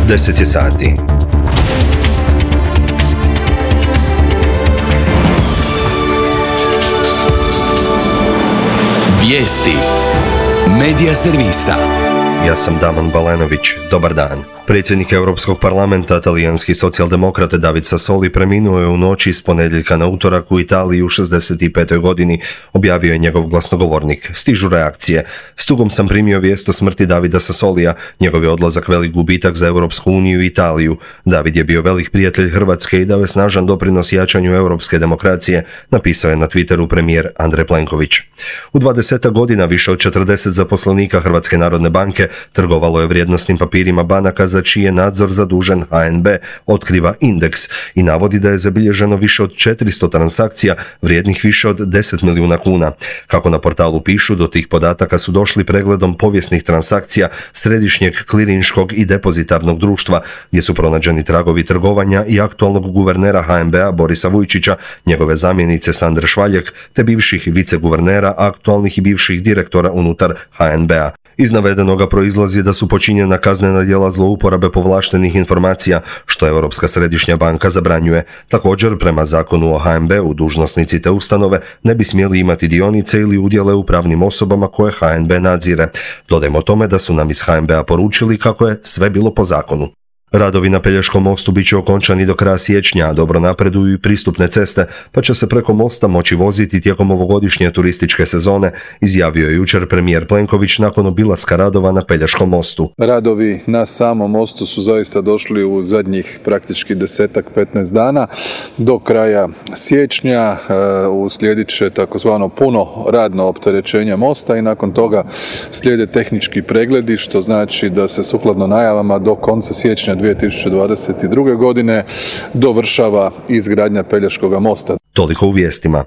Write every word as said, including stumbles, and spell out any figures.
deset je sati. Vijesti Medija servisa. Ja sam Damon Balenović. Dobar dan. Predsjednik Europskog parlamenta, talijanski socijaldemokrat David Sassoli, preminuo je u noći s ponedjeljka na utorak u Italiji u šezdeset petoj godini, objavio je njegov glasnogovornik. Stižu reakcije. S tugom sam primio vijest o smrti Davida Sassolija. Njegov je odlazak velik gubitak za Europsku uniju i Italiju. David je bio velik prijatelj Hrvatske i dao je snažan doprinos jačanju europske demokracije, napisao je na Twitteru premijer Andrej Plenković. U dvadeset godina više od četrdeset zaposlenika Hrvatske narodne banke trgovalo je vrijednosnim papirima banaka za čiji je nadzor zadužen H N B, otkriva Indeks i navodi da je zabilježeno više od četiristo transakcija vrijednih više od deset milijuna kuna. Kako na portalu pišu, do tih podataka su došli pregledom povijesnih transakcija Središnjeg klirinškog i depozitarnog društva, gdje su pronađeni tragovi trgovanja i aktualnog guvernera H N B-a Borisa Vujčića, njegove zamjenice Sandre Švaljek, te bivših viceguvernera, aktualnih i bivših direktora unutar H N B-a. Iz navedenoga proizlazi da su počinjena kaznena djela zlouporabe povlaštenih informacija, što Europska središnja banka zabranjuje. Također, prema zakonu o H N B-u, dužnosnici te ustanove ne bi smjeli imati dionice ili udjele u pravnim osobama koje H N B nadzire. Dodajmo tome da su nam iz H N B-a poručili kako je sve bilo po zakonu. Radovi na Pelješkom mostu bit će okončani do kraja siječnja, a dobro napreduju i pristupne ceste, pa će se preko mosta moći voziti tijekom ovogodišnje turističke sezone, izjavio je jučer premijer Plenković nakon obilaska radova na Pelješkom mostu. Radovi na samom mostu su zaista došli u zadnjih praktički desetak, petnaest dana. Do kraja siječnja uslijedit će takozvano puno radno opterećenje mosta i nakon toga slijede tehnički pregledi, što znači da se sukladno najavama do konca siječnja dvije tisuće dvadeset druge godine dovršava izgradnja Pelješkoga mosta. Toliko u vijestima.